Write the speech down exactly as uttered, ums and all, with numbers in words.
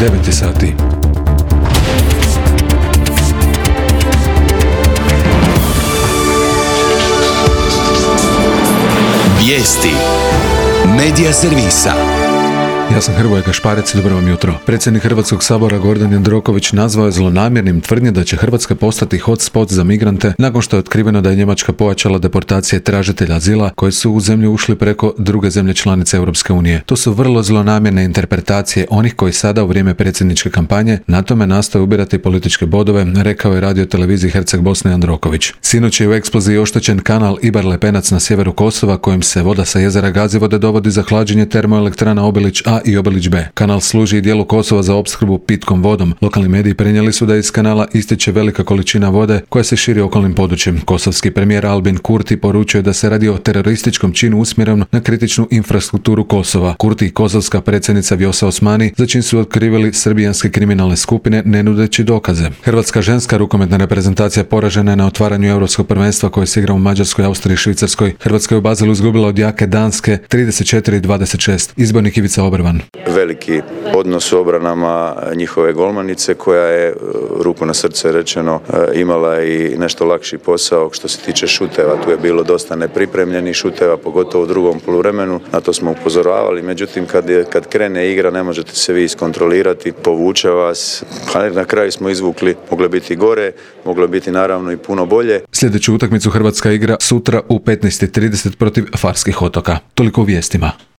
devet sati. Vijesti Medija servisa. Ja sam Hrvoje Kašparec, dobro vam jutro. Predsjednik Hrvatskog sabora Gordan Jandroković nazvao je zlonamjernim tvrdnje da će Hrvatska postati hotspot za migrante nakon što je otkriveno da je Njemačka pojačala deportacije tražitelja azila koji su u zemlju ušli preko druge zemlje članice Europske unije. To su vrlo zlonamjerne interpretacije onih koji sada u vrijeme predsjedničke kampanje na tome nastoje ubirati političke bodove, rekao je radio televiziji Herceg Bosne Jandroković. Sinoć je u eksploziji oštećen kanal Ibar Lepenac na sjeveru Kosova kojim se voda sa jezera Gazivode dovodi za hlađenje termoelektrana Obilić A i Obilić B. Kanal služi i dijelu Kosova za opskrbu pitkom vodom. Lokalni mediji prenijeli su da iz kanala ističe velika količina vode koja se širi okolnim područjem. Kosovski premijer Albin Kurti poručuje da se radi o terorističkom činu usmjerenom na kritičnu infrastrukturu Kosova. Kurti i kosovska predsjednica Vjosa Osmani za čin su otkrivili srbijanske kriminalne skupine ne nudeći dokaze. Hrvatska ženska rukometna reprezentacija poražena je na otvaranju europskog prvenstva koje se igra u Mađarskoj, Austriji i Švicarskoj. Hrvatska je u Baselu izgubila od jake Danske trideset četiri dvadeset šest. Izbornik Ivica Obrvan. Veliki odnos u obranama njihove golmanice koja je, ruku na srce rečeno, imala i nešto lakši posao što se tiče šuteva. Tu je bilo dosta nepripremljenih šuteva, pogotovo u drugom poluvremenu. Na to smo upozoravali, međutim kad, je, kad krene igra ne možete se vi iskontrolirati, povuče vas. Pa na kraju smo izvukli, moglo biti gore, moglo biti naravno i puno bolje. Sljedeću utakmicu Hrvatska igra sutra u petnaest i trideset protiv Farskih otoka. Toliko u vijestima.